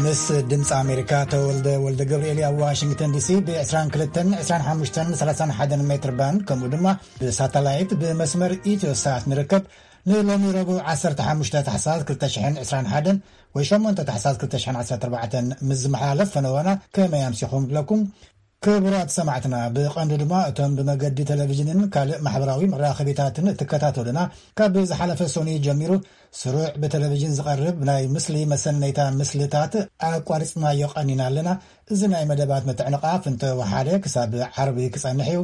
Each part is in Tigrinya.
ምስ ድምፂ ኣሜሪካ ተወልደ ወልደ ገብርኤል ኣብ ዋሽንግተን ዲሲ ብ22፣ 25፣ 31 ሜትር ባንድ፣ ከምኡ ድማ ብሳተላይት ብመስመር ኢትዮ ሳት ንርከብ። ንሎሚ ረቡዕ 15 ታሕሳስ 2021 ወይ 8 ታሕሳስ 2014 ምስ ዝመሓላለፍ ፈነወና ከመይ ኣምሲኹም ንብለኩም። ክቡራት ሰማዕትና፣ ብቐንዱ ድማ እቶም ብመገዲ ቴሌቪዥንን ካልእ ማሕበራዊ መራኸቢታትን እትከታተሉና፣ ካብ ዝሓለፈ ሰኑይ ጀሚሩ ስሩዕ ብቴሌቪዥን ዝቐርብ ናይ ምስሊ መሰነይታ ምስልታት ኣቋሪጽናዮ ቀኒና ኣለና። እዚ ናይ መደባት ምትዕንቓፍ እንተወሓደ ክሳብ ዓርቢ ክጸንሕ እዩ።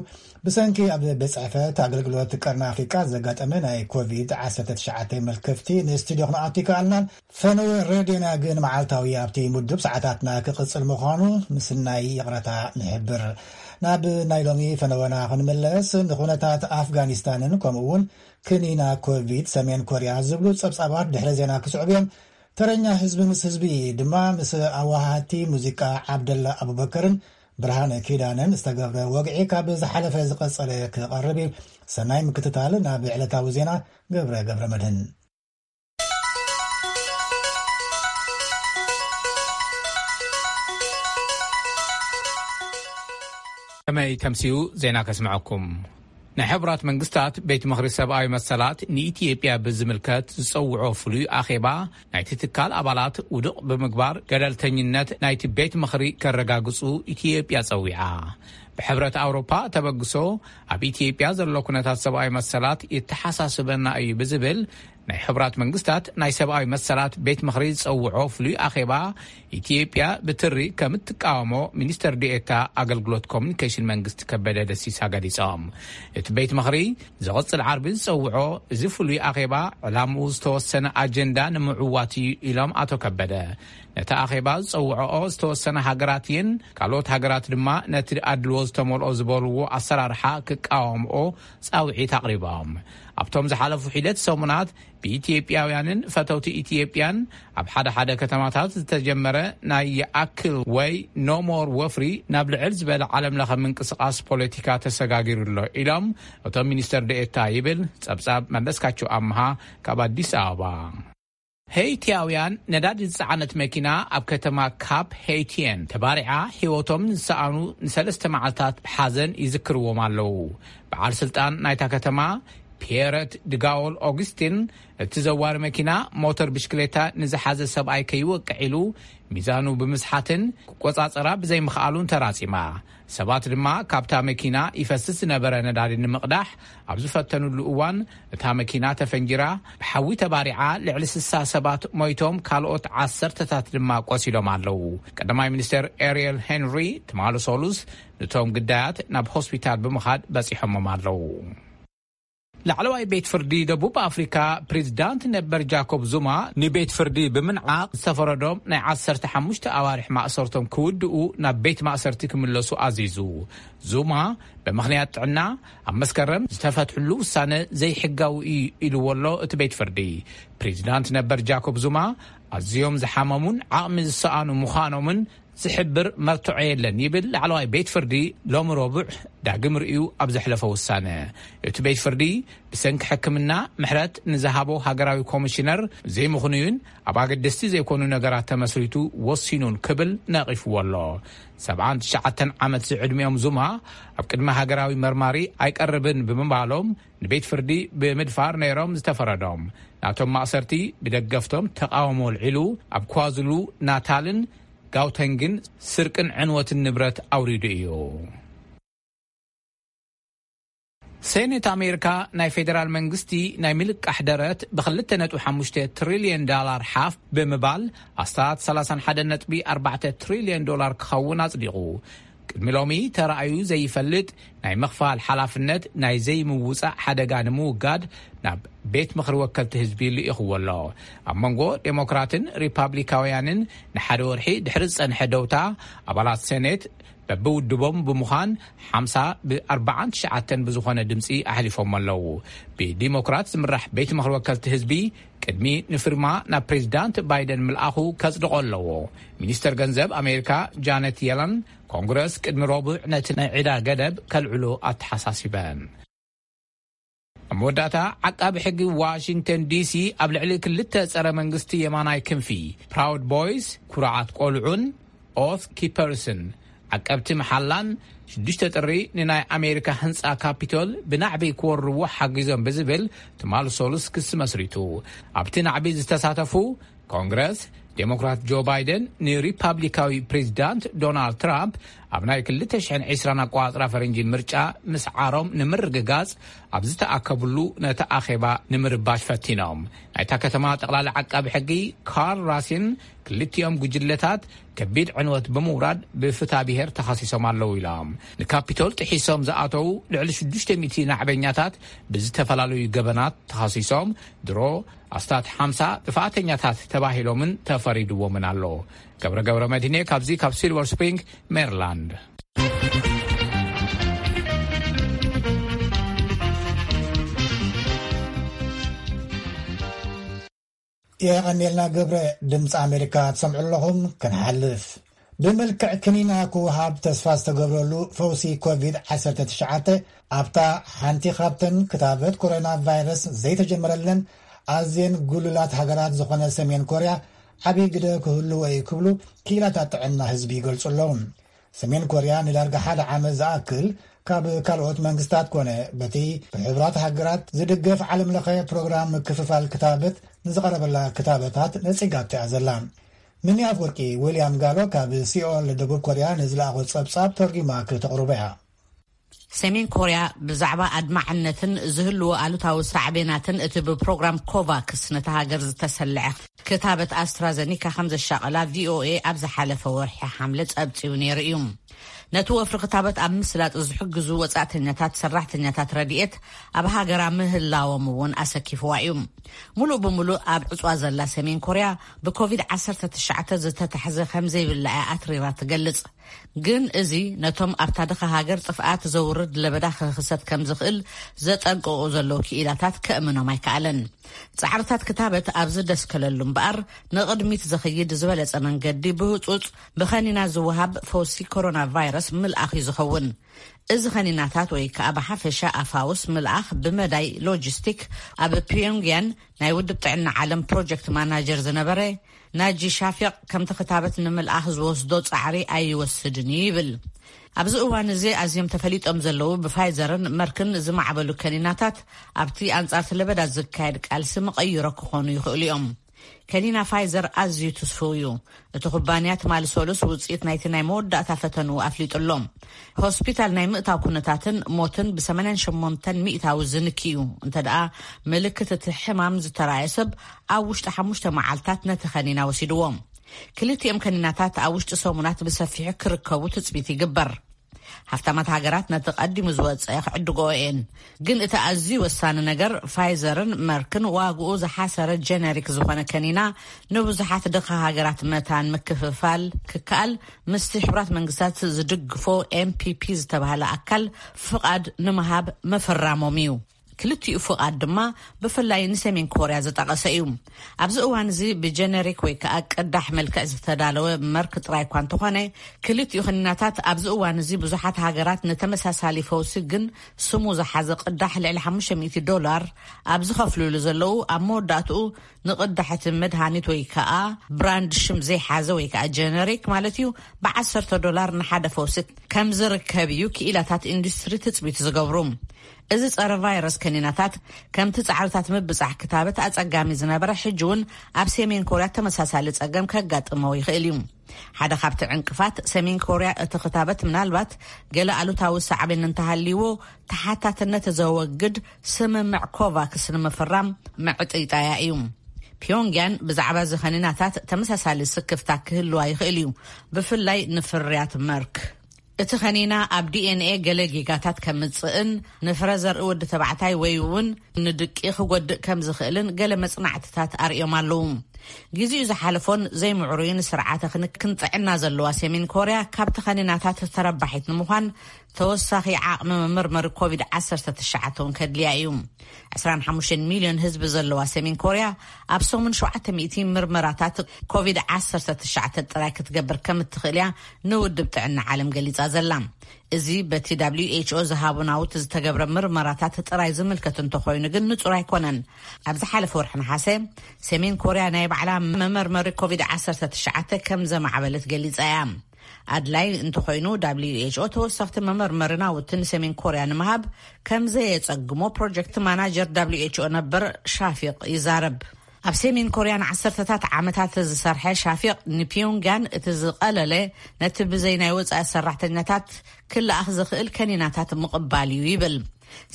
ብሰንኪ ኣብ ቤት ጽሕፈት ኣገልግሎት ቀርኒ ኣፍሪቃ ዘጋጠመ ናይ ኮቪድ-19 መልከፍቲ ንስቱድዮ ክንኣቱ ይከኣልናን። ፈነወ ሬድዮና ግን መዓልታዊ ኣብቲ ምዱብ ሰዓታትና ክቕጽል ምዃኑ ምስናይ ይቕረታ ንሕብር። ናብ ናይ ሎሚ ፈነወና ክንምለስ፣ ንኹነታት ኣፍጋኒስታንን ከምኡ እውን ክኒና ኮቪድ ሰሜን ኮርያ ዝብሉ ጸብጻባት ድሕሪ ዜና ክስዕቡ እዮም። ተረኛ ህዝቢ ምስ ህዝቢ ድማ ምስ ኣዋሃቲ ሙዚቃ ዓብደላ ኣቡበከርን ብርሃነ ኪዳነን ዝተገብረ ወግዒ ካብ ዝሓለፈ ዝቐጸለ ክቐርብ እዩ። ሰናይ ምክትታል። ናብ ዕለታዊ ዜና ገብረ ገብረ መድህን። ከመይ ተምስዩ ዜና ከስምዐኩም። ናይ ሕቡራት መንግስታት ቤት ምኽሪ ሰብኣዊ መሰላት ንኢትዮጵያ ብዝምልከት ዝጸውዖ ፍሉይ ኣኼባ ናይቲ ትካል ኣባላት ውዱቕ ብምግባር ገለልተኝነት ናይቲ ቤት ምኽሪ ከረጋግጹ ኢትዮጵያ ጸዊዓ። ብሕብረት ኣውሮፓ ተበግሶ ኣብ ኢትዮጵያ ዘሎ ኩነታት ሰብኣዊ መሰላት የተሓሳስበና እዩ ብዝብል ናይ ሕቡራት መንግስታት ናይ ሰብኣዊ መሰላት ቤት ምኽሪ ዝጸውዖ ፍሉይ ኣኼባ ኢትዮጵያ ብትሪ ከም እትቃወሞ ሚኒስተር ዲኤታ ኣገልግሎት ኮሚኒኬሽን መንግስቲ ከበደ ደሲሳ ገሊጾም። እቲ ቤት ምኽሪ ዝቕጽል ዓርቢ ዝጸውዖ እዚ ፍሉይ ኣኼባ ዕላምኡ ዝተወሰነ ኣጀንዳ ንምዕዋት እዩ ኢሎም ኣቶ ከበደ። ነቲ ኣኼባ ዝጸውዖኦ ዝተወሰነ ሃገራት እየን። ካልኦት ሃገራት ድማ ነቲ ኣድልዎ ዝተመልኦ ዝበልዎ ኣሰራርሓ ክቃወምኦ ጻውዒት ኣቕሪቦም። ኣብቶም ዝሓለፉ ሒደት ሰሙናት ብኢትዮጵያውያንን ፈተውቲ ኢትዮጵያን ኣብ ሓደ ሓደ ከተማታት ዝተጀመረ ናይ ይኣክል ወይ ኖሞር ወፍሪ ናብ ልዕል ዝበለ ዓለም ለኸ ምንቅስቓስ ፖለቲካ ተሰጋጊሩ ኣሎ ኢሎም እቶም ሚኒስተር ደኤታ ይብል ጸብጻብ መለስካቸው ኣምሃ ካብ ኣዲስ ኣበባ። ሄይቲያውያን ነዳዲ ዝጸዓነት መኪና ኣብ ከተማ ካፕ ሄይቲየን ተባሪዓ ህይወቶም ዝሰኣኑ ንሰለስተ መዓልታት ሓዘን ይዝክርዎም ኣለዉ። በዓል ስልጣን ናይታ ከተማ ፒየረት ድጋወል ኦግስቲን፣ እቲ ዘዋሪ መኪና ሞተር ብሽክሌታ ንዝሓዘ ሰብኣይ ከይወቅዕ ኢሉ ሚዛኑ ብምስሓትን ክቆጻጸራ ብዘይምኽኣሉን ተራጺማ። ሰባት ድማ ካብታ መኪና ይፈስስ ዝነበረ ነዳዲ ንምቕዳሕ ኣብ ዝፈተኑሉ እዋን እታ መኪና ተፈንጂራ ብሓዊ ተባሪዓ ልዕሊ ስሳ ሰባት ሞይቶም ካልኦት ዓሰርተታት ድማ ቆሲሎም ኣለዉ። ቀዳማይ ሚኒስተር ኤሪየል ሄንሪ ትማሊ ሰሉስ ነቶም ግዳያት ናብ ሆስፒታል ብምኻድ በጺሖሞም ኣለዉ። ላዕለዋይ ቤት ፍርዲ ደቡብ ኣፍሪካ ፕሬዚዳንት ነበር ጃኮብ ዙማ ንቤት ፍርዲ ብምንዓቕ ዝተፈረዶም ናይ 15 ኣዋርሕ ማእሰርቶም ክውድኡ ናብ ቤት ማእሰርቲ ክምለሱ ኣዚዙ። ዙማ ብምኽንያት ጥዕና ኣብ መስከረም ዝተፈትሕሉ ውሳነ ዘይሕጋዊ እዩ ኢልዎ ኣሎ እቲ ቤት ፍርዲ። ፕሬዚዳንት ነበር ጃኮብ ዙማ ኣዝዮም ዝሓመሙን ዓቕሚ ዝሰኣኑ ምዃኖምን ዝሕብር መርትዖ የለን ይብል ላዕለዋይ ቤት ፍርዲ ሎሚ ረቡዕ ዳግም ርእዩ ኣብ ዘሕለፈ ውሳነ። እቲ ቤት ፍርዲ ብሰንኪ ሕክምና ምሕረት ንዝሃቦ ሃገራዊ ኮሚሽነር ዘይምኽኑዩን ኣብ ኣገደስቲ ዘይኮኑ ነገራት ተመስሪቱ ወሲኑን ክብል ነቒፍዎ ኣሎ። 79 ዓመት ዝዕድሚኦም ዙማ ኣብ ቅድሚ ሃገራዊ መርማሪ ኣይቀርብን ብምባሎም ንቤት ፍርዲ ብምድፋር ነይሮም ዝተፈረዶም። ናቶም ማእሰርቲ ብደገፍቶም ተቃውሞ ልዒሉ ኣብ ኳዝሉ ናታልን ጋውተንግን ስርቅን ዕንወትን ንብረት ኣውሪዱ እዩ። ሴኔት ኣሜሪካ ናይ ፌዴራል መንግስቲ ናይ ምልቃሕ ደረት ብ2.5 ትሪልዮን ዳላር ሓፍ ብምባል ኣስታት 31.4 ትሪልዮን ዶላር ክኸውን ኣጽዲቑ። ቅድሚ ሎሚ ተራእዩ ዘይፈልጥ ናይ ምኽፋል ሓላፍነት ናይ ዘይምውጻእ ሓደጋ ንምውጋድ ናብ ቤት ምኽሪ ወከልቲ ህዝቢ ልኢኽዎ ኣሎ። ኣብ መንጎ ዴሞክራትን ሪፓብሊካውያንን ንሓደ ወርሒ ድሕሪ ዝጸንሐ ደውታ ኣባላት ሴኔት በብውድቦም ብምዃን 50 ብ49 ብዝኾነ ድምፂ ኣሕሊፎም ኣለዉ። ብዲሞክራት ዝምራሕ ቤት ምኽሪ ወከልቲ ህዝቢ ቅድሚ ንፊርማ ናብ ፕሬዚዳንት ባይደን ምልኣኹ ከጽድቆ ኣለዎ። ሚኒስተር ገንዘብ ኣሜሪካ ጃነት የለን ኮንግረስ ቅድሚ ረቡዕ ነቲ ናይ ዕዳ ገደብ ከልዕሎ ኣተሓሳሲበን። መወዳእታ፣ ዓቃቢ ሕጊ ዋሽንግተን ዲሲ ኣብ ልዕሊ ክልተ ጸረ መንግስቲ የማናይ ክንፊ፣ ፕራውድ ቦይስ፣ ኩራዓት ቆልዑን፣ ኦት ኪፐርስን፣ ዓቀብቲ መሓላን፣ ሽዱሽተ ጥሪ ንናይ ኣሜሪካ ህንጻ ካፒቶል ብናዕቢ ክወርዎ ሓጊዞም ብዝብል ትማል ሶሉስ ክሲ መስሪቱ። ኣብቲ ናዕቢ ዝተሳተፉ፣ ኮንግረስ፣ ዴሞክራት ጆ ባይደን ንሪፓብሊካዊ ፕሬዚዳንት ዶናልድ ትራምፕ ኣብ ናይ ክልተ ሽሕን ዕስራን ኣቋጽራ ፈረንጂ ምርጫ ምስዓሮም ንምርግጋጽ ኣብ ዝተኣከብሉ፣ ነቲ ኣኼባ ንምርባሽ ፈቲኖም። ናይታ ከተማ ጠቕላሊ ዓቃቢ ሕጊ ካርል ራሲን ክልቲኦም ጉጅለታት ከቢድ ዕንወት ብምውራድ ብፍታ ብሔር ተኸሲሶም ኣለዉ ኢሎም። ንካፒቶል ጥሒሶም ዝኣተዉ ልዕሊ ሽዱሽተ ሚእቲ ናዕበኛታት ብዝተፈላለዩ ገበናት ተኸሲሶም፣ ድሮ ኣስታት ሓምሳ ጥፍኣተኛታት ተባሂሎምን ተፈሪድዎምን ኣሎ። ገብረ ገብረ መድህኔ ካብዚ ካብ ሲልቨር ስፕሪንግ ሜሪላንድ። የቐኔልና ገብረ። ድምፂ ኣሜሪካ ትሰምዑ ኣለኹም። ክንሓልፍ፣ ብመልክዕ ክኒና ክወሃብ ተስፋ ዝተገብረሉ ፈውሲ ኮቪድ ዓሰርተ ትሽዓተ ኣብታ ሓንቲ ካብተን ክታበት ኮሮና ቫይረስ ዘይተጀመረለን ኣዝየን ጉሉላት ሃገራት ዝኾነ ሰሜን ኮርያ ዓብዪ ግደ ክህልዎ እዩ ክብሉ ክኢላታት ጥዕና ህዝቢ ይገልጹ ኣለዉ። ሰሜን ኮርያ ንዳርጋ ሓደ ዓመት ዝኣክል ካብ ካልኦት መንግስታት ኮነ በቲ ብሕቡራት ሃገራት ዝድገፍ ዓለም ለኸ ፕሮግራም ምክፍፋል ክታበት ንዝቐረበላ ክታበታት ነጺጋቶ እያ ዘላ። ሚኒ ኣፍወርቂ፣ ዊልያም ጋሎ ካብ ሲኦል ደቡብ ኮርያ ንዝለኣኾ ጸብጻብ ተርጊማ ክተቕርቦ እያ። ሰሜን ኮርያ ብዛዕባ ኣድማዕነትን ዝህልዎ ኣሉታዊ ሳዕቤናትን እቲ ብፕሮግራም ኮቫክስ ነታ ሃገር ዝተሰልዐ ክታበት ኣስትራዘኒካ ከም ዘሻቐላ ቪኦኤ ኣብ ዝሓለፈ ወርሒ ሓምለ ጸብጺቡ ነይሩ እዩ። ነቲ ወፍሪ ክታበት ኣብ ምስላጥ ዝሕግዙ ወጻእተኛታት ሰራሕተኛታት ረድኤት ኣብ ሃገራ ምህላዎም እውን ኣሰኪፍዋ እዩ። ሙሉእ ብሙሉእ ኣብ ዕጽዋ ዘላ ሰሜን ኮርያ ብኮቪድ ዓሰርተ ትሽዓተ ዝተታሕዘ ከም ዘይብላ እያ ኣትሪራ ትገልጽ። ግን እዚ ነቶም ኣብታ ድኻ ሃገር ጥፍኣት ዘውርድ ለበዳ ክኽሰት ከም ዝኽእል ዘጠንቅቑ ዘለዉ ክኢላታት ከእምኖም ኣይከኣለን። ጻዕርታት ክታበት ኣብ ዝደስከለሉ እምበኣር፣ ንቕድሚት ዝኸይድ ዝበለጸ መንገዲ ብህጹጽ ብኸኒና ዝወሃብ ፈውሲ ኮሮና ቫይረስ ምልኣኽ እዩ ዝኸውን። እዚ ኸኒናታት ወይ ከኣ ብሓፈሻ ኣፋውስ ምልኣኽ ብመዳይ ሎጂስቲክ ኣብ ፒዮንግያን ናይ ውድብ ጥዕና ዓለም ፕሮጀክት ማናጀር ዝነበረ ናጂ ሻፊቕ፣ ከምቲ ክታበት ንምልኣኽ ዝወስዶ ጻዕሪ ኣይወስድን እዩ ይብል። ኣብዚ እዋን እዚ ኣዝዮም ተፈሊጦም ዘለዉ ብፋይዘርን መርክን ዝማዕበሉ ከኒናታት ኣብቲ ኣንጻርቲ ለበዳ ዝካየድ ቃልሲ መቐይሮ ክኾኑ ይኽእሉ እዮም። ከኒና ፋይዘር ኣዝዩ ትስፉው እዩ። እቲ ኩባንያ ትማሊ ሰሉስ ውጽኢት ናይቲ ናይ መወዳእታ ፈተንኡ ኣፍሊጡ ኣሎ። ሆስፒታል ናይ ምእታው ኩነታትን ሞትን ብ ሰማንያን ሸሞንተን ሚእታዊ ዝንኪ እዩ። እንተ ደኣ ምልክት እቲ ሕማም ዝተራእየ ሰብ ኣብ ውሽጢ ሓሙሽተ መዓልታት ነቲ ከኒና ወሲድዎ። ክልቲኦም ከኒናታት ኣብ ውሽጢ ሰሙናት ብሰፊሑ ክርከቡ ትጽቢት ይግበር። ሃፍታማት ሃገራት ነቲ ቀዲሙ ዝወጸ ክዕድግኦ እየን። ግን እቲ ኣዝዩ ወሳኒ ነገር፣ ፋይዘርን መርክን ዋግኡ ዝሓሰረ ጀነሪክ ዝኾነ ከኒና ንብዙሓት ድኻ ሃገራት መታን ምክፍፋል ክከኣል፣ ምስቲ ሕቡራት መንግስታት ዝድግፎ ኤምፒፒ ዝተባህለ ኣካል ፍቓድ ንምሃብ ምፍራሞም እዩ። ክልቲኡ ፍቓድ ድማ ብፍላይ ንሰሜን ኮርያ ዝጠቐሰ እዩ። ኣብዚ እዋን እዚ ብጀነሪክ ወይ ከኣ ቅዳሕ መልክዕ ዝተዳለወ መርክ ጥራይ እኳ እንተኾነ፣ ክልቲኡ ክኒናታት ኣብዚ እዋን እዚ ብዙሓት ሃገራት ንተመሳሳሊ ፈውሲ ግን ስሙ ዝሓዘ ቅዳሕ ልዕሊ ሓሙሽተ ሚእቲ ዶላር ኣብ ዝኸፍሉሉ ዘለዉ፣ ኣብ መወዳእትኡ ንቕዳሕ እቲ መድሃኒት ወይ ከኣ ብራንድ ሽም ዘይሓዘ ወይ ከኣ ጀነሪክ ማለት እዩ፣ ብዓሰርተ ዶላር ንሓደ ፈውሲ ከም ዝርከብ እዩ ክኢላታት ኢንዱስትሪ ትጽቢት ዝገብሩ። እዚ ጸረ ቫይረስ ከኒናታት ከምቲ ጻዕርታት ምብጻሕ ክታበት ኣጸጋሚ ዝነበረ፣ ሕጂ እውን ኣብ ሰሜን ኮርያ ተመሳሳሊ ጸገም ከጋጥሞ ይኽእል እዩ። ሓደ ካብቲ ዕንቅፋት፣ ሰሜን ኮርያ እቲ ክታበት ምናልባት ገለ ኣሉታዊ ሳዕቤን እንተሃልይዎ፣ ተሓታትነት ዘወግድ ስምምዕ ኮቫክስ ንምፍራም ምዕጥይጣያ እዩ። ፒዮንግያን ብዛዕባ እዚ ከኒናታት ተመሳሳሊ ስክፍታ ክህልዋ ይኽእል እዩ፣ ብፍላይ ንፍርያት መርክ። እቲ ከኒና ኣብ ዲኤንኤ ገለ ጌጋታት ከምጽእን ንፍረ ዘርኢ ወዲ ተባዕታይ ወይ እውን ንድቂ ክጎድእ ከም ዝኽእልን ገለ መጽናዕትታት ኣርእዮም ኣለዉ። ግዜኡ ዝሓለፎን ዘይምዕሩይን ስርዓተ ክንክን ጥዕና ዘለዋ ሰሜን ኮርያ ካብቲ ከኒናታት ተረባሒት ንምዃን ተወሳኺ ዓቕሚ መመርመሪ ኮቪድ ዓሰርተ ትሽዓተ እውን ከድልያ እዩ። ዕስራን ሓሙሽተን ሚልዮን ህዝቢ ዘለዋ ሰሜን ኮርያ ኣብ ሰሙን ሸውዓተ ሚእቲ ምርመራታት ኮቪድ ዓሰርተ ትሽዓተ ጥራይ ክትገብር ከም እትኽእል እያ ንውድብ ጥዕና ዓለም ገሊጻ ዘላ። እዚ በቲ ደብሊው ኤች ኦ ዝሃቦ ናውቲ ዝተገብረ ምርመራታት ጥራይ ዝምልከት እንተኾይኑ ግን ንጹር ኣይኮነን። ኣብ ዝሓለፈ ወርሒ ነሓሰ ሰሜን ኮርያ ናይ ባዕላ መመርመሪ ኮቪድ ዓሰርተ ትሽዓተ ከም ዘማዕበለት ገሊጻ እያ። ኣድላይ እንተኾይኑ ደብሊው ኤች ኦ ተወሰኽቲ መመርመሪ ናውቲ ንሰሜን ኮርያ ንምሃብ ከም ዘየጸግሞ ፕሮጀክት ማናጀር ደብሊው ኤች ኦ ነበር ሻፊቕ ይዛረብ። ኣብ ሰሜን ኮርያ ንዓሰርተታት ዓመታት ዝሰርሐ ሻፊቕ ንፒዮንግያን እቲ ዝቐለለ ነቲ ብዘይ ናይ ወጻኢ ሰራሕተኛታት ክለኣኽ ዝኽእል ከኒናታት ምቕባል እዩ ይብል።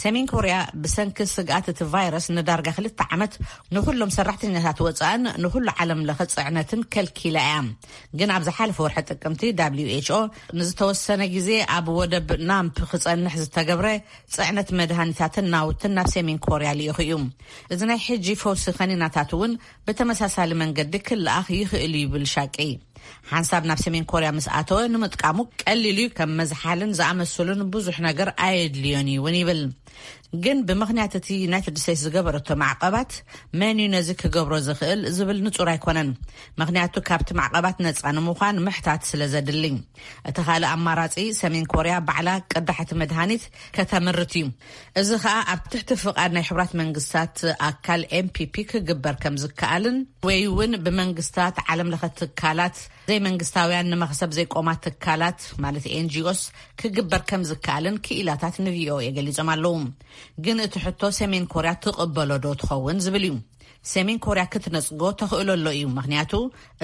ሰሜን ኮርያ ብሰንኪ ስግኣት እቲ ቫይረስ ንዳርጋ ክልተ ዓመት ንኹሎም ሰራሕተኛታት ወጻእን ንኹሉ ዓለም ለኸ ጽዕነትን ከልኪላ እያ። ግን ኣብ ዝሓለፈ ወርሒ ጥቅምቲ ደብሊው ኤች ኦ ንዝተወሰነ ግዜ ኣብ ወደብ ናምፕ ክጸንሕ ዝተገብረ ጽዕነት መድሃኒታትን ናውትን ናብ ሰሜን ኮርያ ልኢኹ እዩ። እዚ ናይ ሕጂ ፈውሲ ከኒናታት እውን ብተመሳሳሊ መንገዲ ክለኣኽ ይኽእል እዩ ይብል ሻቂ። ሓንሳብ ናብ ሰሜን ኮርያ ምስ ኣተወ ንምጥቃሙ ቀሊል እዩ። ከም መዝሓልን ዝኣመሰሉን ብዙሕ ነገር ኣየድልዮን እዩ እውን ይብል። ግን ብምኽንያት እቲ ዩናይትድ ስቴትስ ዝገበረቶ ማዕቐባት መን እዩ ነዚ ክገብሮ ዝኽእል ዝብል ንጹር ኣይኮነን። ምኽንያቱ ካብቲ ማዕቐባት ነጻ ንምዃን ምሕታት ስለ ዘድሊ። እቲ ካልእ ኣማራጺ ሰሜን ኮርያ ባዕላ ቅዳሕቲ መድሃኒት ከተምርት እዩ። እዚ ኸኣ ኣብ ትሕቲ ፍቓድ ናይ ሕቡራት መንግስታት ኣካል ኤምፒፒ ክግበር ከም ዝከኣልን ወይ እውን ብመንግስታት ዓለም ለኸ ትካላት ዘይመንግስታውያን ንመኽሰብ ዘይቆማ ትካላት ማለት ኤንጂኦስ ክግበር ከም ዝከኣልን ክኢላታት ንቪኦኤ ገሊጾም ኣለዉ። ግን እቲ ሕቶ ሰሜን ኮርያ ትቕበሎ ዶ ትኸውን ዝብል እዩ። ሰሜን ኮርያ ክትነጽጎ ተኽእሎ ኣሎ እዩ፣ ምኽንያቱ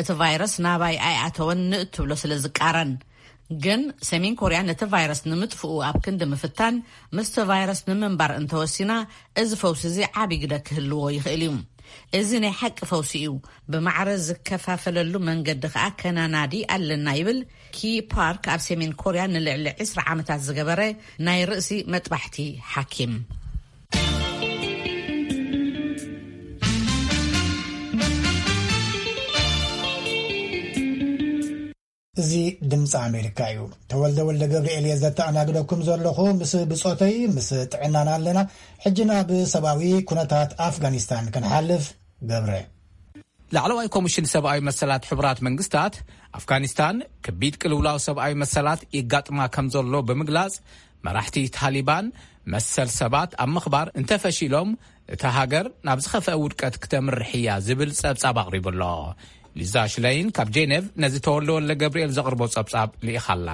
እቲ ቫይረስ ናባይ ኣይኣተወን ንእትብሎ ስለ ዝቃረን። ግን ሰሜን ኮርያ ነቲ ቫይረስ ንምጥፍኡ ኣብ ክንዲ ምፍታን ምስቲ ቫይረስ ንምንባር እንተወሲና፣ እዚ ፈውሲ እዚ ዓቢ ግደ ክህልዎ ይኽእል እዩ። እዚ ናይ ሓቂ ፈውሲ እዩ። ብማዕረ ዝከፋፈለሉ መንገዲ ከኣ ከናናዲ ኣለና ይብል ኪ ፓርክ፣ ኣብ ሰሜን ኮርያ ንልዕሊ ዕስራ ዓመታት ዝገበረ ናይ ርእሲ መጥባሕቲ ሓኪም። እዚ ድምፂ ኣሜሪካ እዩ። ተወልደ ወልደ ገብርኤል እየ ዘተኣናግደኩም ዘለኹ። ምስ ብፆተይ ምስ ጥዕናና ኣለና። ሕጂ ናብ ሰብኣዊ ኩነታት ኣፍጋኒስታን ክንሓልፍ። ገብረ። ላዕለዋይ ኮሚሽን ሰብኣዊ መሰላት ሕቡራት መንግስታት፣ ኣፍጋኒስታን ከቢድ ቅልውላው ሰብኣዊ መሰላት ይጋጥማ ከም ዘሎ ብምግላጽ፣ መራሕቲ ታሊባን መሰል ሰባት ኣብ ምኽባር እንተፈሺሎም፣ እታ ሃገር ናብ ዝኸፍአ ውድቀት ክተምርሕ እያ ዝብል ጸብጻብ ኣቕሪቡ ኣሎ። ሊዛ ሽለይን ካብ ጄኔቭ ነዚ ተወልደ ወልደ ገብርኤል ዘቕርቦ ጸብጻብ ልኢኻ ኣላ።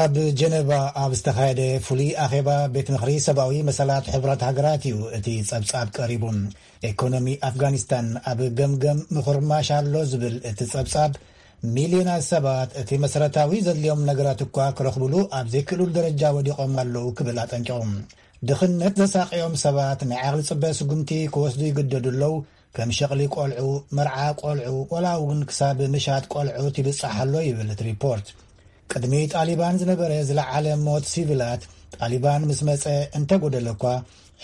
ኣብ ጀነቫ ኣብ ዝተኻየደ ፍሉይ ኣኼባ ቤት ምኽሪ ሰብኣዊ መሰላት ሕቡራት ሃገራት እዩ እቲ ጸብጻብ ቀሪቡ። ኤኮኖሚ ኣፍጋኒስታን ኣብ ገምገም ምኹርማሽ ኣሎ ዝብል እቲ ጸብጻብ፣ ሚልዮናት ሰባት እቲ መሰረታዊ ዘድልዮም ነገራት እኳ ክረኽብሉ ኣብ ዘይክእሉሉ ደረጃ ወዲቖም ኣለዉ ክብል ኣጠንቂቑ። ድኽነት ዘሳቐዮም ሰባት ናይ ዓቕሊ ጽበ ስጉምቲ ክወስዱ ይግደዱ ኣለዉ። ከም ሸቕሊ ቆልዑ፣ መርዓ ቆልዑ፣ ወላ እውን ክሳብ ምሻጥ ቆልዑት ይብጻሕ ኣሎ ይብል እቲ ሪፖርት። ቅድሚ ጣሊባን ዝነበረ ዝለዓለ ሞት ሲቪላት ጣሊባን ምስ መጸ እንተጎደለ እኳ፣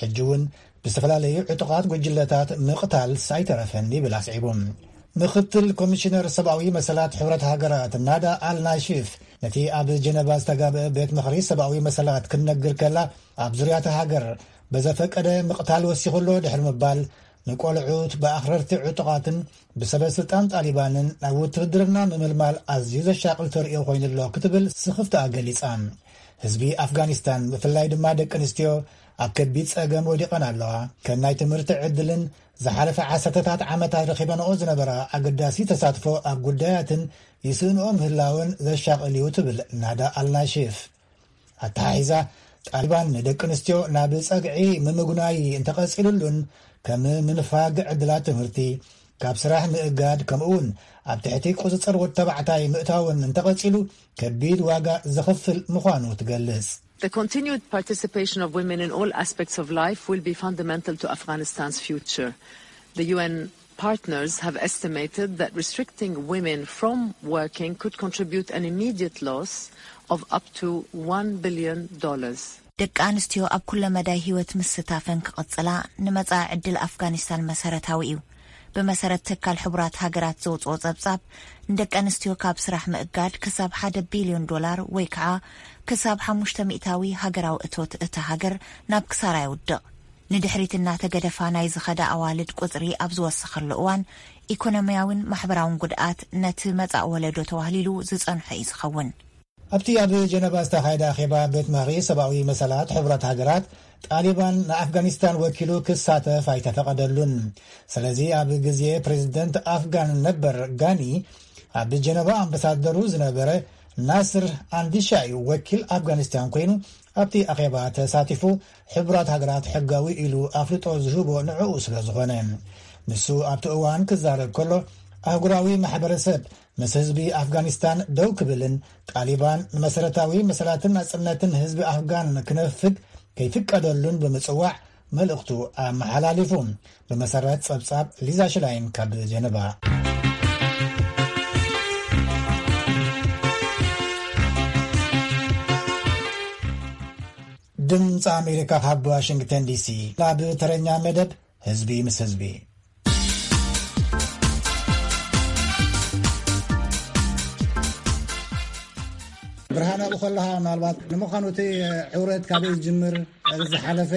ሕጂ እውን ብዝተፈላለዩ ዕጡቓት ጉጅለታት ምቕታል ኣይተረፈን ይብል ኣስዒቡ። ምኽትል ኮሚሽነር ሰብኣዊ መሰላት ሕብረት ሃገራት ናዳ ኣልናሺፍ ነቲ ኣብ ጀነቫ ዝተጋብአ ቤት ምኽሪ ሰብኣዊ መሰላት ክትነግር ከላ፣ ኣብ ዙርያታ ሃገር በዘፈቀደ ምቕታል ወሲኹ ኣሎ ድሕሪ ምባል፣ ንቆልዑት ብኣኽረርቲ ዕጡቓትን ብሰበ ስልጣን ጣሊባንን ናብ ውትህድርና ምምልማል ኣዝዩ ዘሻቕል ተርእዮ ኮይኑሎ ክትብል ስኽፍትኣ ገሊጻ። ህዝቢ ኣፍጋኒስታን ብፍላይ ድማ ደቂ ኣንስትዮ ኣብ ከቢድ ጸገም ወዲቐን ኣለዋ። ከም ናይ ትምህርቲ ዕድልን ዝሓለፈ ዓሰርተታት ዓመታት ረኺበንኦ ዝነበራ ኣገዳሲ ተሳትፎ ኣብ ጉዳያትን ይስእንኦ ምህላውን ዘሻቕል እዩ ትብል ናዳ ኣልናሺፍ። ኣተሓሒዛ፣ ጣሊባን ንደቂ ኣንስትዮ ናብ ጸግዒ ምምጉናይ እንተቐጺሉሉን ከም ምንፋግ ዕድላት ትምህርቲ፣ ካብ ስራሕ ምእጋድ ከምኡውን ኣብ ትሕቲ ቁጽጽር ወድ ተባዕታይ ምእታውን እንተቐጺሉ ከቢድ ዋጋ ዘኽፍል ምዃኑ ትገልጽ። The continued participation of women in all aspects of life will be fundamental to Afghanistan's future. The U N partners have estimated that restricting women from working could contribute an immediate loss of up to one billion dollars. ደቂ ኣንስትዮ ኣብ ኩለ መዳይ ህይወት ምስታፈን ክቐጽላ፣ ንመጻኢ ዕድል ኣፍጋኒስታን መሰረታዊ እዩ። ብመሰረት ትካል ሕቡራት ሃገራት ዘውፅኦ ጸብጻብ፣ ንደቂ ኣንስትዮ ካብ ስራሕ ምእጋድ ክሳብ ሓደ ቢልዮን ዶላር ወይ ከዓ ክሳብ ሓሙሽተ ሚእታዊ ሃገራዊ እቶት እታ ሃገር ናብ ክሳራ የውድቕ። ንድሕሪት እናተገደፋ ናይ ዝኸዳ ኣዋልድ ቁጽሪ ኣብ ዝወሰኸሉ እዋን፣ ኢኮኖሚያዊን ማሕበራውን ጉድኣት ነቲ መጻእ ወለዶ ተዋህሊሉ ዝጸንሖ እዩ ዝኸውን። ኣብቲ ኣብ ጀነቫ ዝተኻየደ ኣኼባ ቤት ምኽሪ ሰብኣዊ መሰላት ሕቡራት ሃገራት፣ ጣሊባን ንኣፍጋኒስታን ወኪሉ ክሳተፍ ኣይተፈቐደሉን። ስለዚ ኣብ ግዜ ፕሬዝደንት ኣፍጋን ነበር ጋኒ፣ ኣብ ጀነቫ ኣምባሳደሩ ዝነበረ ናስር ኣንዲሻ እዩ ወኪል ኣፍጋኒስታን ኮይኑ ኣብቲ ኣኼባ ተሳቲፉ። ሕቡራት ሃገራት ሕጋዊ ኢሉ ኣፍልጦ ዝህቦ ንዕኡ ስለ ዝኾነ። ንሱ ኣብቲ እዋን ክዛረብ ከሎ፣ ኣህጉራዊ ማሕበረሰብ ምስ ህዝቢ ኣፍጋኒስታን ደው ክብልን ጣሊባን ንመሰረታዊ መሰላትን ናጽነትን ህዝቢ ኣፍጋን ክነፍግ ከይፍቀደሉን ብምጽዋዕ መልእኽቱ ኣመሓላሊፉ። ብመሰረት ጸብጻብ ሊዛ ሽላይን ካብ ጀነቫ። ድምፂ ኣሜሪካ ካብ ዋሽንግተን ዲሲ ናብ ተረኛ መደብ ህዝቢ ምስ ህዝቢ። ብርሃን፣ ኣብኡ ከለኻ ምናልባት ንምዃኑ እቲ ዕውረት ካበይ ዝጅምር፣ ዝሓለፈ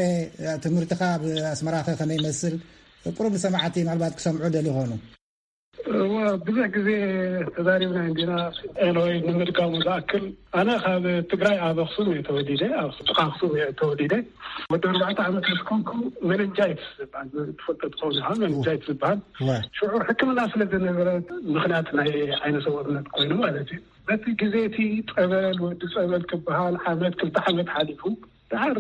ትምህርትኻ ኣብ ኣስመራኸ ከመይ ይመስል? ቁሩብ ንሰማዕቲ ምናልባት ክሰምዑ ደልዩ ይኾኑ። እወ፣ ብዙሕ ግዜ ተዛሪብና እንዲና። ኤሎይ ንምድጋሙ ዝኣክል፣ ኣነ ካብ ትግራይ ኣብ ኣኽሱም እየ ተወሊደ፣ ኣብ ጥቓ ኣኽሱም እየ ተወሊደ። ወዲ ኣርባዕተ ዓመት ምስ ኮንኩ፣ ሜኒንጃይትስ ዝበሃል ትፈልጦ ትኸውን ኢኻ፣ ሜኒንጃይትስ ዝበሃል። እወ። ሽዑ ሕክምና ስለ ዝነበረ፣ ምኽንያት ናይ ዓይነ ስውርነት ኮይኑ ማለት እዩ። በቲ ግዜ እቲ ጸበል፣ ወዲ ጸበል ክበሃል ዓመት፣ ክልተ ዓመት ሓሊፉ። ደሓር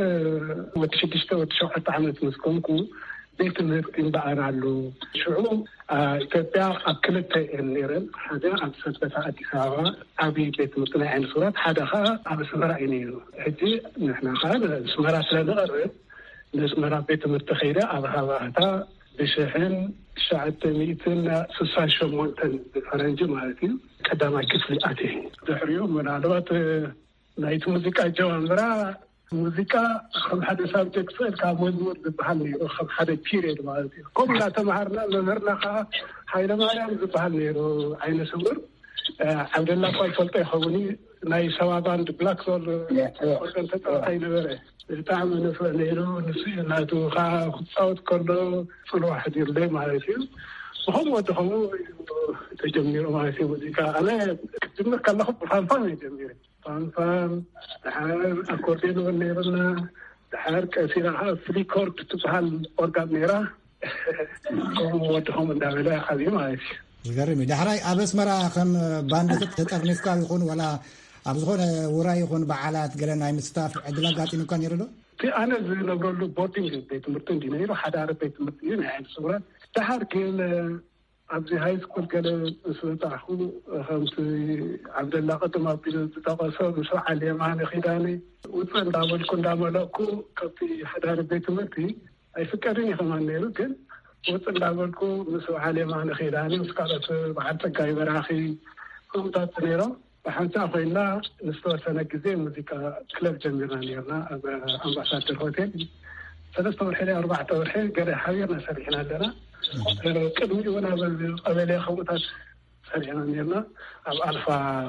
ወዲ ሽዱሽተ፣ ወዲ ሸውዓተ ዓመት ምስ ኮንኩ፣ ቤት ትምህርቲ እምበኣር ኣሎ። ሽዑ፣ አ፣ ኢትዮጵያ ኣብ ክልተ እየን ነይረን። ሓደ ኣብ ሰበታ ኣዲስ ኣበባ ዓብዪ ቤት ትምህርቲ ናይ ዓይነ ስውራት፣ ሓደ ኸዓ ኣብ ኣስመራ እዩ ነይሩ። ሕጂ ንሕና ኸዓ ንኣስመራ ስለ ንቐርብ፣ ንኣስመራ ቤት ትምህርቲ ከይደ ኣብ ሃባህታ ብሽሕን ትሽዓተ ሚእትን ስሳን ሸሞንተን ብፈረንጂ ማለት እዩ፣ ቀዳማይ ክፍሊ ኣትየ። ድሕሪኡ ምናልባት ናይቲ ሙዚቃ ኣጀማምራ፣ ሙዚቃ ከም ሓደ ሳብጀክት ስእልካ መዝሙር ዝበሃል ነይሩ፣ ከም ሓደ ፒሪየድ ማለት እዩ። ከምኡ እናተምሃርና፣ መምህርና ከዓ ሃይለ ማርያም ዝበሃል ነይሩ፣ ዓይነ ስውር። እ፣ ዓብደላ እኳ ይፈልጦ ይኸውን እዩ፣ ናይ ሰባ ባንድ ብላክ ሶል ኦርገን ተፃዋታይ ነበረ። ብጣዕሚ ንፍዕ ነይሩ። ንሱ እዩ ናቱ ከዓ ክፃወት ከሎ ፅልዋ ሕዲሩለይ ማለት እዩ። ብኸምኡ ወዲ ኸምኡ እዩ ተጀሚሩ ማለት እዩ ሙዚቃ። ኣነ ክጅምር ከለኹ ብፋንፋን እየ ጀሚረ። ፋንፋን፣ ድሓር ኣኮርዲዮን እውን ነይሩና። ድሓር ቀስ ኢላ ከዓ ፍሊኮርድ ትበሃል ኦርጋን ነይራ። ከምኡ ወዲ ከምኡ እንዳበለ ዓብዩ ማለት እዩ። ዝገርም እዩ። ዳሕራይ ኣብ ኣስመራ ከም ባንድ ተጠርኒፍካ ይኹን ዋላ ኣብ ዝኾነ ውራይ ይኹን በዓላት ገለ ናይ ምስታፍ ዕድል ኣጋጢሙካ ነይሩ ዶ? እቲ ኣነ ዝነብረሉ ቦርዲንግ ቤት ትምህርቲ እንዲ ነይሩ፣ ሓዳሪ ቤት ትምህርቲ እዩ፣ ናይ ዓይነ ስውራት። ደሓር ግን ኣብዚ ሃይ ስኩል ገለ ምስ በጻሕኩ፣ ከምቲ ዓብደላ ቅድም ኣቢሉ ዝጠቐሶ፣ ምስ በዓል የማነ ኪዳነ ውፅእ እንዳበልኩ እንዳመለእኩ ካብቲ ሓዳሪ ቤት ትምህርቲ ኣይፍቀድን እዩ ከማን ነይሩ፣ ግን ውፅእ እንዳበልኩ ምስ በዓል የማነ ኪዳነ፣ ምስ ካልኦት በዓል ፀጋይ በራኺ ከምታት ነይሮም። ብሓንሳእ ኮይና ንዝተወሰነ ግዜ ሙዚቃ ክለብ ጀሚርና ነይርና ኣብ ኣምባሳደር ሆቴል። ሰለስተ ወርሒ ድዩ ኣርባዕተ ወርሒ ገለ ሓቢርና ሰሪሕና ኣለና። ቅድሚኡ እውን ኣብ ቀበሌ ከምኡታት ሰሪሕና ነይርና፣ ኣብ ኣልፋ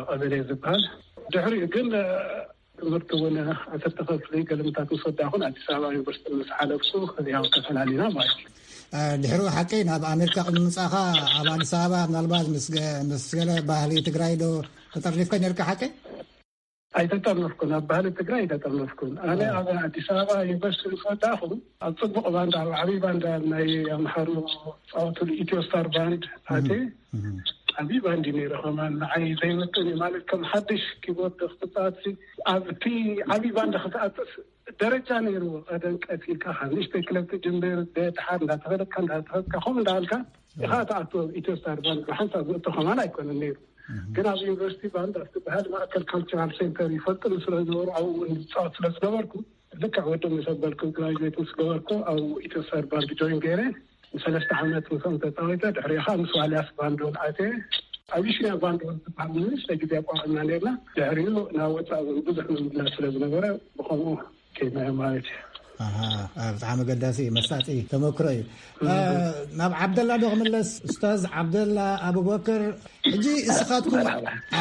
ቀበሌ ዝበሃል። ድሕሪኡ ግን ትምህርቲ እውን ዓሰርተ ክፍሊ ገለምታት ምስ ወዳእኹን ኣዲስ ኣበባ ዩኒቨርሲቲ ምስ ሓለፍኩ ከዚያው ተፈላሊና ማለት እዩ። ድሕሪኡ ሓቀይ ናብ ኣሜሪካ ቅድሚ ምምጻእኻ ኣብ ኣዲስ ኣበባ ምናልባት ምስ ገ-፣ ምስ ገለ ባህሊ ትግራይ ዶ ተጠርኒፍካ ነርካ ሓቀይ? ኣይተጠርነፍኩን፣ ኣብ ባህሊ ትግራይ ኣይተጠርነፍኩን። ኣነ ኣብ ኣዲስ ኣበባ ዩኒቨርሲቲ ምስ ወዳእኹ ኣብ ጽቡቕ ባንድ፣ ኣብ ዓብዪ ባንድ ናይ ኣምሓሩ ጻወትሉ ኢትዮ ስታር ባንድ ኣትየ። ዓብዪ ባንድ እዩ ነይሩ ከማን፣ ንዓይ ዘይምጥን እዩ ማለት ከም ሓድሽ ኪቦርድ ክትጻወት ኣብቲ ዓብዪ ባንድ ክትኣትስ ደረጃ ነይርዎ። ቀደም ቀስ ኢልካ ካብ ንእሽተይ ክለብ ትጅምር፣ ደድሓር እንዳተፈለጥካ እንዳተፈለጥካ ከምኡ እንዳበልካ ኢኻ ትኣቱ። ኢትዮ ስታር ባንድ ብሓንሳብ ዝእቶ ከማን ኣይኮነን ነይሩ። ግን ኣብ ዩኒቨርሲቲ ባንድ ኣብ ዝበሃል ማእከል ካልቸራል ሴንተር ይፈልጥኒ ስለ ዝነበሩ ኣብኡ እውን ዝፃወት ስለ ዝነበርኩ ልክዕ ወዲ ምስ ኣበልኩ ግራጁዌት ምስ ገበርኩ ኣብኡ ኢትዮ ስታር ባንድ ጆይን ገይረ ንሰለስተ ዓመት ምስኦም ተፃዊተ። ድሕሪኡ ከዓ ምስ ዋልያስ ባንድ እውን ኣትየ። ኣብ ኢሽያ ባንድ እውን ዝበሃል ንእሽተይ ግዜ ኣቋቒምና ነርና። ድሕሪኡ ናብ ወፃኢ እውን ብዙሕ ምምልላስ ስለ ዝነበረ ብኸምኡ ከይድናዮ ማለት እዩ። ኣሃ፣ ኣ፣ ብጣዕሚ ኣገዳሲ መሳጢ ተመክሮ እዩ። እ፣ ናብ ዓብደላ ዶ ክምለስ? ኡስታዝ ዓብደላ ኣቡበክር፣ ሕጂ እስኻትኩም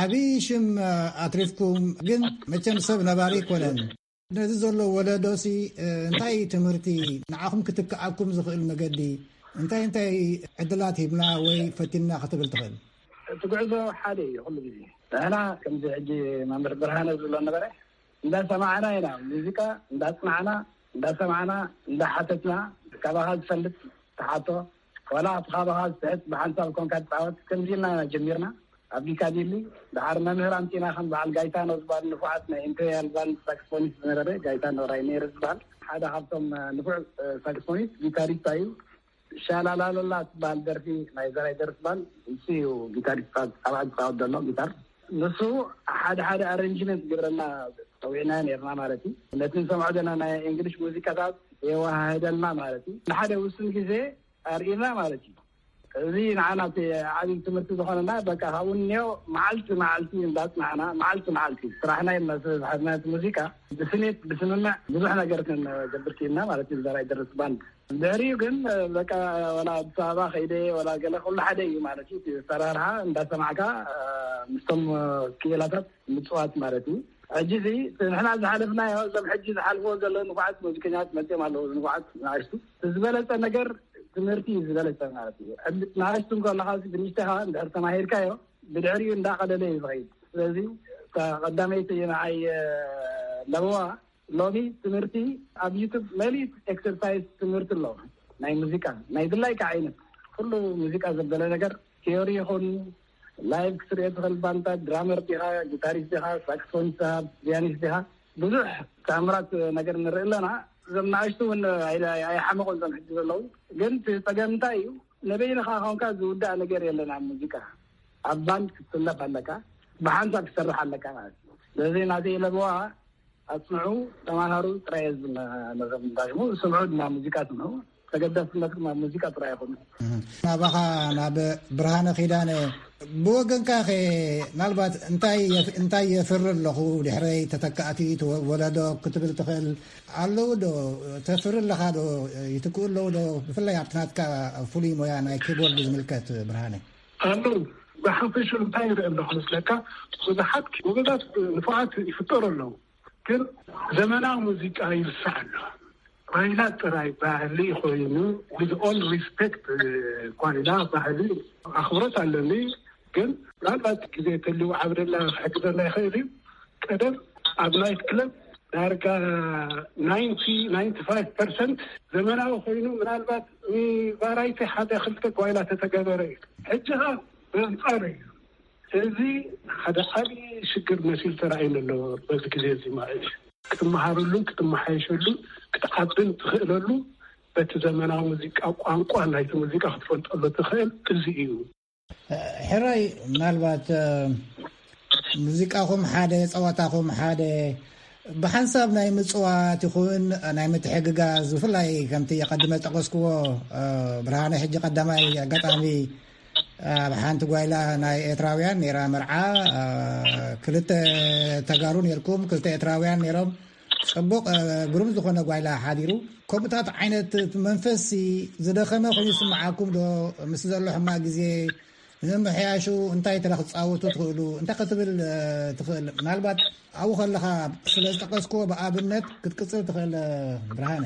ዓብዪ ሽም፣ እ፣ ኣትሪፍኩም፣ ግን መቸም ሰብ ነባሪ ኣይኮነን። ነዚ ዘሎ ወለዶሲ፣ እ፣ እንታይ ትምህርቲ ንዓኹም ክትከኣኩም ዝኽእል መገዲ እንታይ እንታይ ዕድላት ሂብና ወይ ፈቲንና ክትብል ትኽእል? እቲ ጉዕዞ ሓደ እዩ ኩሉ ግዜ። ንሕና ከምዚ ሕጂ መምህር ብርሃነ ዝብሎ ነበረ፣ እንዳሰማዕና ኢና ሙዚቃ፣ እንዳጽናዕና፣ እንዳሰማዕና፣ እንዳሓተትና፣ ካባኻ ዝፈልጥ ትሓቶ፣ ዋላ እቲ ካባኻ ዝስሕት ብሓንሳብ ኮንካ ትጻወት። ከምዚ ኢልና ጀሚርና ኣብ ጊካዲሊ። ደሓር መምህር ኣምጺና ከም በዓል ጋይታኖ ዝበሃል ንፉዓት ናይ ኢምፔሪያል ባንድ ሳክስፎኒስት ዝነበረ ጋይታኖ ራይኔር ዝበሃል ሓደ ካብቶም ንፉዕ ሳክስፎኒስት ጊታሪስት እዩ። ሻላላላላ ትበሃል ደርፊ ናይ ዘራይ ደርፊ ባንድ ንሱ እዩ ጊታሪስት ኣብ ዝጻወት ዘሎ ጊታር። ንሱ ሓደ ሓደ ኣረንጅመንት ዝገብረና ጸዊዕና ነርና ማለት እዩ። ነቲ ንሰምዖ ዘለና ናይ እንግሊሽ ሙዚቃታት የወሃህደልና ማለት እዩ። ንሓደ ውሱን ግዜ ኣርእና ማለት እዩ። እዚ ንዓና እቲ ዓብዪ ትምህርቲ ዝኾነና በቃ ካብኡ እኒኦ መዓልቲ መዓልቲ እንዳጽናዕና መዓልቲ መዓልቲ ስራሕና ኢልና ስለ ዝሓዝና እቲ ሙዚቃ ብስኒት ብስምምዕ ብዙሕ ነገር ክንገብር ክኢልና ማለት እዩ። ዘራይ ደርስ ባንድ ድሕሪኡ ግን በቃ ወላ ኣዲስ ኣበባ ከይደ ወላ ገለ ኩሉ ሓደ እዩ ማለት እዩ። እቲ ኣሰራርሓ እንዳሰማዕካ ምስቶም ክኢላታት ምፅዋት ማለት እዩ። ሕጂ እዚ ንሕና ዝሓለፍናዮ እዞም ሕጂ ዝሓልፍዎ ዘለዉ ንፉዓት ሙዚቀኛት መፅኦም ኣለዉ። ንፉዓት ንኣሽቱ ዝበለፀ ነገር ትምህርቲ እዩ ዝበለፀ ማለት እዩ። ንኣሽቱ እንከለካ ብንእሽተኻ እንድሕር ተማሂርካዮ ብድሕሪኡ እንዳቐለለ እዩ ዝኸይድ። ስለዚ እታ ቀዳመይቲ ንዓይ ለበዋ ሎሚ ትምህርቲ ኣብ ዩቱብ መሊት ኤክሰርሳይዝ ትምህርቲ ኣሎ። ናይ ሙዚቃ ናይ ድላይካ ዓይነት ኩሉ ሙዚቃ ዘበለ ነገር ቲዮሪ ይኹን ላይቭ ክትሪኦ ትኽእል ባንታ ድራመር ዲኻ፣ ጊታሪስት ዲኻ፣ ሳክስፎኒስት ዲኻ፣ ፒያኒስት ዲኻ፣ ብዙሕ ተኣምራት ነገር ንርኢ ኣለና። እዞም ንኣሽቱ እውን ኣይሓመቑን እዞም ሕጂ ዘለዉ። ግን እቲ ፀገም እንታይ እዩ? ነበይንኻ ኾንካ ዝውዳእ ነገር የለን ኣብ ሙዚቃ። ኣብ ባንድ ክትስለፍ ኣለካ፣ ብሓንሳብ ክትሰርሕ ኣለካ ማለት እዩ። ስለዚ ናተይ ለበዋ ኣጽንዑ፣ ተማሃሩ ጥራይ እየ ዝብል ነዞም ዳሽሙ። ስምዑ ድማ ሙዚቃ ስምዑ። ተገዳስነትኩም ኣብ ሙዚቃ ጥራይ ይኹን። ናባኻ ናብ ብርሃነ ኪዳነ ብወገንካ ኸ ምናልባት እንታይ የፍ-፣ እንታይ የፍሪ ኣለኹ ድሕረይ ተተካእቲ ወ-፣ ወለዶ ክትብል ትኽእል ኣለዉ ዶ? ተፍሪ ኣለኻ ዶ? ይትክኡ ኣለዉ ዶ? ብፍላይ ኣብቲ ናትካ ፍሉይ ሞያ ናይ ኪቦርድ ዝምልከት ብርሃነ። ኣለዉ። ብሓፈሽኡ እንታይ ይርኢ ኣለኹ መስለካ? ብዙሓት ጎበዛት ንፉዓት ይፍጠሩ ኣለዉ። ግን ዘመናዊ ሙዚቃ ይርሳዕ ኣሎ። ጓይላ ጥራይ ባህሊ ኮይኑ፣ with all respect፣ ጓይላ ባህሊ ኣኽብሮት ኣለኒ። ግን ምናልባት ግዜ ተልዩ ዓብደላ ክሕግዘና ይኽእል እዩ። ቀደም ኣብ ናይት ክለብ ዳርጋ ናይንቲ ናይንቲ ፋይቭ ፐርሰንት ዘመናዊ ኮይኑ ምናልባት ንቫራይቲ ሓደ ክልተ ጓይላ ተተገበረ እዩ። ሕጂ ኸኣ ብኣንጻሩ እዩ። እዚ ሓደ ዓብዪ ሽግር መሲሉ ተራእዩኒ ኣሎ። በዚ ግዜ እዚ ማለት እዩ ክትመሃረሉን ክትመሓየሸሉን ክትዓብን ትኽእለሉ በቲ ዘመናዊ ሙዚቃ ቋንቋ ናይቲ ሙዚቃ ክትፈልጠሉ ትኽእል እዚ እዩ። ሕራይ ምናልባት ሙዚቃኹም ሓደ ጸዋታኹም ሓደ ብሓንሳብ ናይ ምጽዋት ይኹን ናይ ምትሕግጋዝ ብፍላይ ከምቲ የቐድመ ጠቀስክዎ ብርሃነ ሕጂ ቀዳማይ ኣጋጣሚ ኣብ ሓንቲ ጓይላ ናይ ኤርትራውያን ነይራ መርዓ ክልተ ተጋሩ ነርኩም ክልተ ኤርትራውያን ነይሮም ጽቡቕ ግሩም ዝኾነ ጓይላ ሓዲሩ ከምኡታት ዓይነት መንፈስ ዝደኸመ ኮይኑ ይስምዓኩም ዶ ምስ ዘሎ ሕማቕ ግዜ ንምምሕያሹ እንታይ ተራ ክትጻወቱ ትኽእሉ እንታይ ክትብል ትኽእል ምናልባት ኣብኡ ከለኻ ስለ ዝጠቀስክዎ ብኣብነት ክትቅጽል ትኽእል ብርሃነ።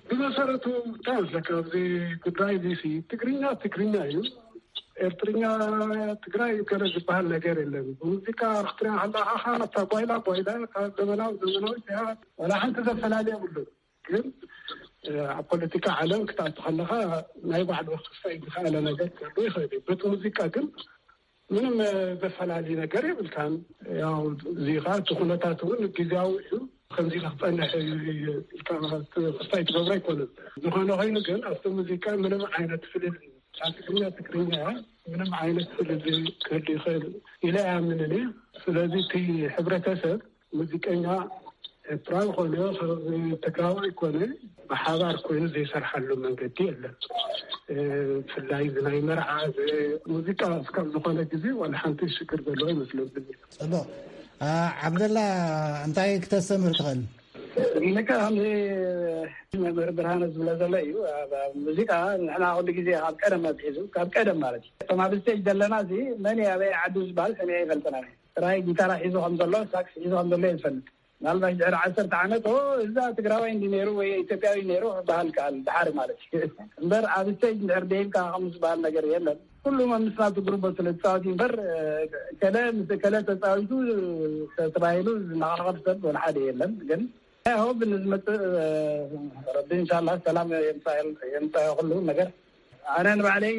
ብመሰረቱ እንታይ መስለካ ኣብዚ ጉዳይ እዚ ትግርኛ ትግርኛ እዩ። ኤርትርኛ ትግራይ ገለ ዝበሃል ነገር የለን። ብሙዚቃ ክትሪኣ ከለካ ከ ነታ ጓይላ ጓይላ ካብ ዘመናዊ ዘመናዊ እያ። ዋላ ሓንቲ ዘፈላለ የብሉ። ግን ኣብ ፖለቲካ ዓለም ክትኣቱ ከለካ ናይ ባዕሉ ክስታይ ዝኸኣለ ነገር ክህሉ ይኽእል እዩ። በቲ ሙዚቃ ግን ምንም ዘፈላሊ ነገር የብልካን። ያው እዚ ከዓ እቲ ኩነታት እውን ግዜያዊ እዩ። ከምዚ ኢለ ክፀንሕ ኢልካ ክስታይ ትገብሮ ኣይኮነን። ዝኾነ ኮይኑ ግን ኣብቲ ሙዚቃ ምንም ዓይነት ፍልል ትግርኛ ትግርኛ ምንም ዓይነት ፍልል ክህሉ ይኽእል ኢለ ኣይኣምንን እየ። ስለዚ እቲ ሕብረተሰብ ሙዚቀኛ ኤርትራዊ ኮነ ትግራዋይ ኮነ ብሓባር ኮይኑ ዘይሰርሓሉ መንገዲ የለን። ብፍላይ እዚ ናይ መርዓ ሙዚቃ እስካብ ዝኾነ ግዜ ዋላ ሓንቲ ሽግር ዘለዎ ይመስለብን። ፅቡቅ። ዓብደላ እንታይ ክተስተምህር ትኽእል? ልክዕ ከምዚ መምህር ብርሃነ ዝብሎ ዘሎ እዩ። ኣብ፣ ኣብ ሙዚቃ ንሕና ኩሉ ግዜ ካብ ቀደም ኣትሒዙ፣ ካብ ቀደም ማለት እዩ፣ እቶም ኣብ ስቴጅ ዘለና እዚ መን እዩ ኣበይ ዓዱ ዝበሃል ሰሚዐ ይፈልጥና። ጥራይ ጊታራ ሒዙ ከም ዘሎ፣ ሳክስ ሒዙ ከም ዘሎ እየ ዝፈልጥ። ምናልባሽ ድሕሪ ዓሰርተ ዓመት፣ "ኦ፣ እዛ ትግራዋይ እንዲ ነይሩ ወይ ኢትዮጵያዊ ነይሩ" ክበሃል ከኣል፣ ድሓር ማለት እዩ። እምበር ኣብ ስቴጅ እንድሕር ደይብካ ከምኡ ዝበሃል ነገር የለን። ኩሉ መምስ ናቱ ግሩቦ ስለ ዝፃወት እዩ እምበር፣ ከለ ምስ ከለ ተፃዊቱ ተባሂሉ ዝነቓቐፍ ሰብ ወላ ሓደ የለን። ግን I hope ንዝመፅእ ረቢ እንሻላ ሰላም የምፃእ፣ የምፃእ ኩሉ ነገር። ኣነ ንባዕለይ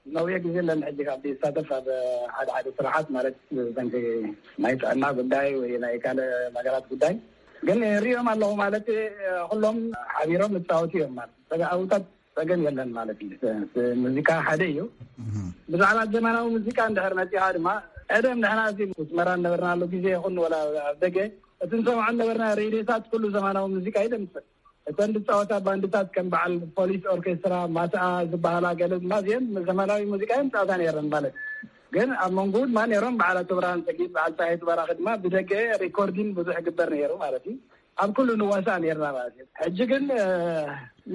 ነዊሕ ግዜ ኣለኒ ሕጂ ካብ ዝሳተፍ ኣብ ሓደ ሓደ ስራሓት፣ ማለት ዘንኪ ናይ ጥዕና ጉዳይ ወይ ናይ ካልእ ነገራት ጉዳይ። ግን ሪኦም ኣለኹ ማለት ኩሎም ሓቢሮም ዝፃወቱ እዮም ማለት ተጋውታት ጸገም የለን ማለት እዩ። ሙዚቃ ሓደ እዩ። ብዛዕባ ዘመናዊ ሙዚቃ እንድሕር መጺኻ ድማ፣ ቀደም ንሕና እዚ ኣስመራ እነበርናሉ ግዜ ይኹን ወላ ኣብ ደገ፣ እቲ ንሰምዖ እነበርና ሬድዮታት ኩሉ ዘመናዊ ሙዚቃ እዩ ደምጽእ። እተን ዝጻወታ ባንድታት ከም በዓል ፖሊስ ኦርኬስትራ፣ ማስኣ ዝበሃላ ገለ ድማ እዚአን ዘመናዊ ሙዚቃ እየን ዝጻወታ ነይረን ማለት እዩ። ግን ኣብ መንጎኡ ድማ ነይሮም በዓል ኣቶ ብርሃን ሰጊድ፣ በዓል ፀሃይ ትባራኺ ድማ ብደገ ሪኮርዲን ብዙሕ ይግበር ነይሩ ማለት እዩ። ኣብ ኩሉ ንዋሳእ ነይርና ማለት እዩ። ሕጂ ግን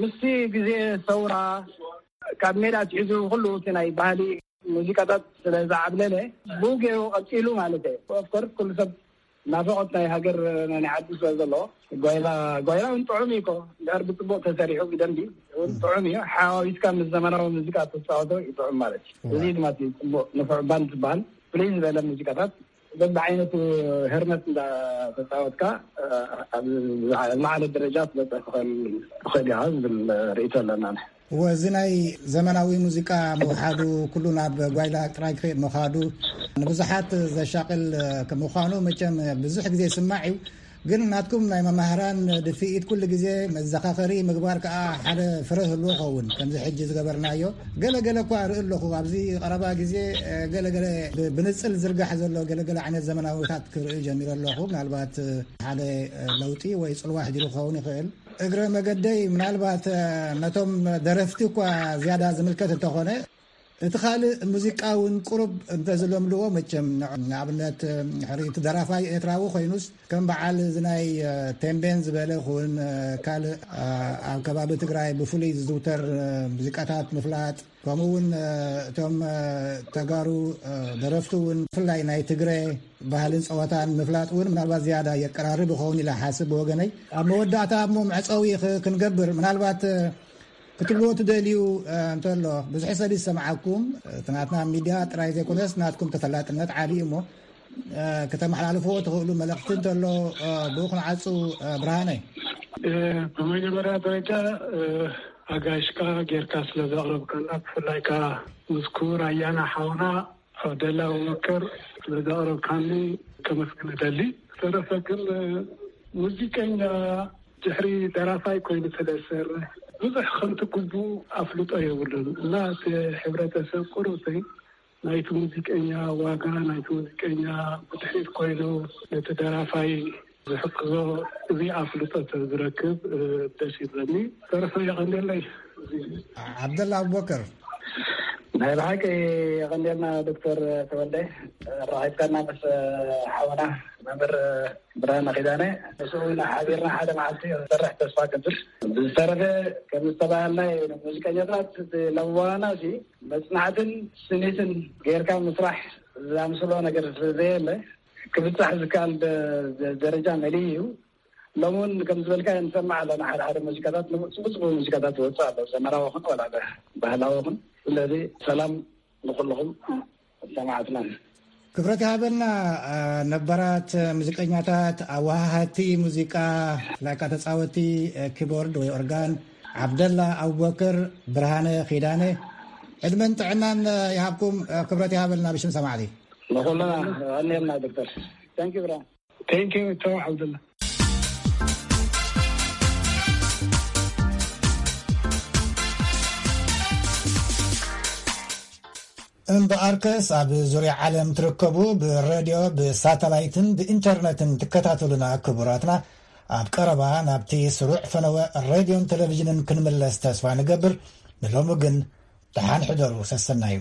ምስቲ ግዜ ሰውራ ካብ ሜዳ ኣትሒዙ ኩሉ እቲ ናይ ባህሊ ሙዚቃታት ስለ ዝዓብለለ ብኡ ገይሩ ቀፂሉ ማለት እዩ። ኦፍኮርስ ኩሉ ሰብ ናፍቖት ናይ ሃገር ናይ ዓዱ ስለ ዘለዎ ጓይላ፣ ጓይላ እውን ጥዑም እዩ እኮ። ድሕር ብፅቡቅ ተሰሪሑ ብደንቢ እውን ጥዑም እዩ። ሓዋዊስካ ምስ ዘመናዊ ሙዚቃ ተፃወቶ ይጥዑም ማለት እዩ። እዚ ድማ እቲ ፅቡቅ ንፉዕ ባንድ ዝበሃል ፍልይ ዝበለ ሙዚቃታት በብዓይነቱ ህርመት እንዳተፃወትካ ኣብ ዝለዓለ ደረጃ ትበፅሕ ትኽእል፣ ትኽእል ኢኻ ዝብል ርእይቶ ኣለና። እወ፣ እዚ ናይ ዘመናዊ ሙዚቃ ምውሓዱ፣ ኩሉ ናብ ጓይላ ጥራይ ክኸይድ ምዃዱ ንብዙሓት ዘሻቕል ምዃኑ መቸም ብዙሕ ግዜ ይስማዕ እዩ። ግን ናትኩም ናይ መማህራን ድፍኢት ኩሉ ግዜ መዘኻኸሪ ምግባር ከኣ ሓደ ፍረ ህልዎ ኸውን። ከምዚ ሕጂ ዝገበርናዮ ገለ ገለ እኳ እርኢ ኣለኹ። ኣብዚ ቀረባ ግዜ ገለ ገለ ብ-፣ ብንጽል ዝርጋሕ ዘሎ ገለ ገለ ዓይነት ዘመናዊታት ክርኢ ጀሚረ ኣለኹ። ምናልባት ሓደ ለውጢ ወይ ጽልዋ ኣሕዲሩ ክኸውን ይኽእል። እግረ መገደይ ምናልባት ነቶም ደረፍቲ እኳ ዝያዳ ዝምልከት እንተኾነ፣ እቲ ካልእ ሙዚቃ እውን ቁሩብ እንተዝለምድዎ መቸም፣ ንኣብነት ሕሪ እቲ ደራፋይ ኤርትራዊ ኮይኑስ ከም በዓል እዚ ናይ ቴምቤን ዝበለ ኩን ካልእ ኣብ ከባቢ ትግራይ ብፍሉይ ዝዝውተር ሙዚቃታት ምፍላጥ፣ ከምኡ እውን እቶም ተጋሩ ደረፍቲ እውን ብፍላይ ናይ ትግረ ባህልን ፀወታን ምፍላጥ እውን ምናልባት ዝያዳ የቀራርብ ይኸውን ኢለ ሓስብ ብወገነይ። ኣብ መወዳእታ እሞ መዕፀዊ ክ-፣ ክንገብር ምናልባት ክትብልዎ ትደልዩ እንተሎ፣ ብዙሕ ሰብ ይሰምዓኩም፣ እቲ ናትና ሚድያ ጥራይ ዘይኮነስ ናትኩም ተፈላጥነት ዓብዪ እሞ፣ ከተመሓላልፍዎ ትኽእሉ መልእኽቲ እንተሎ ብኡ ክንዓጹ። ብርሃነ። ብመጀመርያ ደረጃ ኣጋይሽካ ጌርካ ስለ ዘቕረብካና፣ ብፍላይ ከኣ ምስ ክቡር ኣያና ሓውና ዓብደላ ኣቡበከር ስለ ዘቕረብካኒ ከመስግን እደሊ። ዝተረፈ ግን ሙዚቀኛ ድሕሪ ደራፋይ ኮይኑ ስለ ዝሰርሕ ብዙሕ ከምቲ ግቡእ ኣፍልጦ የብሉን እና እቲ ሕብረተሰብ ቁሩብ ናይቲ ሙዚቀኛ ዋጋ፣ ናይቲ ሙዚቀኛ ብድሕሪት ኮይኑ ነቲ ደራፋይ ዝሕግዞ እዚ ኣፍልጦ ተዝረክብ ደስ ይብለኒ። ዝተረፈ የቐንደለይ። ዓብደላ ኣቡበከር። ናይ ብሓቂ የቐንደልና ዶክተር ተወልደ፣ ኣራኺብካና ምስ ሓውና መምህር ብርሃነ ኪዳነ። ንሱ እውን ሓቢርና ሓደ መዓልቲ ክንሰርሕ ተስፋ ገብር። ብዝተረፈ ከም ዝተባሃልናዮ ሙዚቀኛታት ለዋና እዚ መጽናዕትን ስኒትን ጌርካ ምስራሕ ዝኣምስሎ ነገር ስለ ዘየለ ክብጻሕ ዝከኣል ደ-፣ ደ-፣ ደረጃ መሊኡ እዩ። ሎሚ እውን ከም ዝበልካ ንሰማዕ ኣለና፣ ሓደ ሓደ ሙዚቃታት፣ ጽቡቅ ጽቡቅ ሙዚቃታት ይወጽእ ኣሎ፣ ዘመናዊ ኹን ወላ ደ-፣ ባህላዊ ኹን። ስለዚ ሰላም ንኹልኹም ሰማዕትና። ክብረት ይሃበልና። ነባራት ሙዚቀኛታት፣ ኣወሃሃቲ ሙዚቃ፣ ላይካ ተጻወቲ ኪቦርድ ወይ ኦርጋን፣ ዓብደላ ኣቡበክር፣ ብርሃነ ኪዳነ፣ ዕድመን ጥዕናን ይሃብኩም። ክብረት ይሃበልና ብሽም ሰማዕቲ። ንኹልና ቀንየልና ዶክተር። Thank you ብራ። Thank you ቶ ዓብደላ። እምበኣርከስ ኣብ ዙርያ ዓለም ትርከቡ ብሬድዮ፣ ብሳተላይትን ብኢንተርነትን ትከታተሉና ክቡራትና፣ ኣብ ቀረባ ናብቲ ስሩዕ ፈነወ ሬድዮን ቴሌቪዥንን ክንምለስ ተስፋ ንገብር። ንሎሚ ግን ደሓን ሕደሩ፣ ሰሰናዩ።